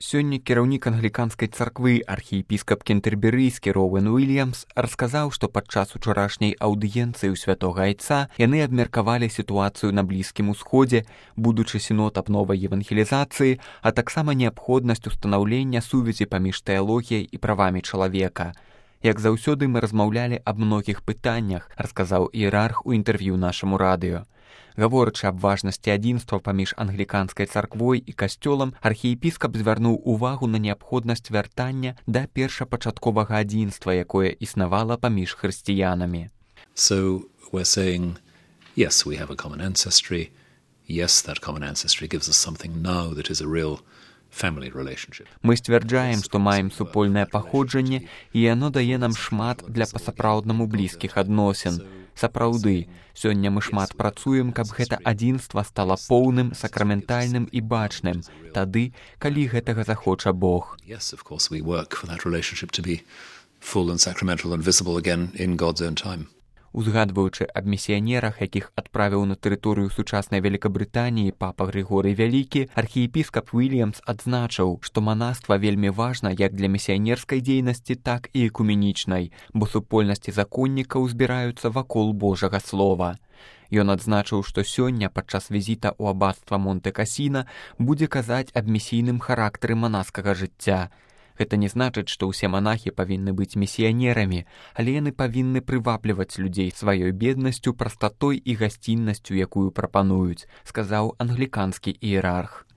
Сёння кіраўнік англіканскай царквы архіепіскап Кентэрберыйскі Роуэн Уильямс расказаў, што падчас учарашняй аўдыенцыі ў святога айца яны абмеркавалі сітуацыю на Блізкім Усходзе, будучы сінод аб новай евангелізацыі, а таксама неабходнасць устанаўлення сувязі паміж тэалогіяй і правамі чалавека. Як заўсёды мы размаўлялі аб многіх пытаннях, расказаў іерарх у інтэрв'ю нашаму радыё. Гаворачы аб важнасці адзінства паміж англіканскай царквой і касцёлам, архіепіскап звярнуў увагу на неабходнасць вяртання да першапачатковага адзінства, якое існавала паміж хрысціянамі. So we're saying, yes, we have a common ancestry. Yes, that common ancestry gives us something now that is a real family relationship. Мы сцвярджаем, што маем супольнае паходжанне, і яно дае нам шмат для па-сапраўднаму блізкіх адносін. Сапраўды, сёння мы шмат працуем, каб гэта адзінства стала поўным, сакраментальным і бачным, тады, калі гэтага захоча Бог. Yes, of course, we work for that relationship to be full and sacramental and visible again in God's own time. Узгадваючы аб місіянерах, якіх адправіў на тэрыторыю сучаснай Вялікабрытаніі папа Грыгорый Вялікі, архіепіскап Уильямс адзначыў, што манаства вельмі важна як для місіянерскай дзейнасці, так і экуменічнай, бо супольнасці законнікаў збіраюцца вакол Божага слова. Ён адзначыў, што сёння падчас візіта ў абацтва Монте-Касіна будзе казаць аб місійным характары манаскага жыцця. Гэта не значыць, што ўсе манахі павінны быць місіянерамі, але яны павінны прывабліваць людзей сваёй беднасцю, прастатой і гасціннасцю, якую прапануюць, сказаў англіканскі іерарх.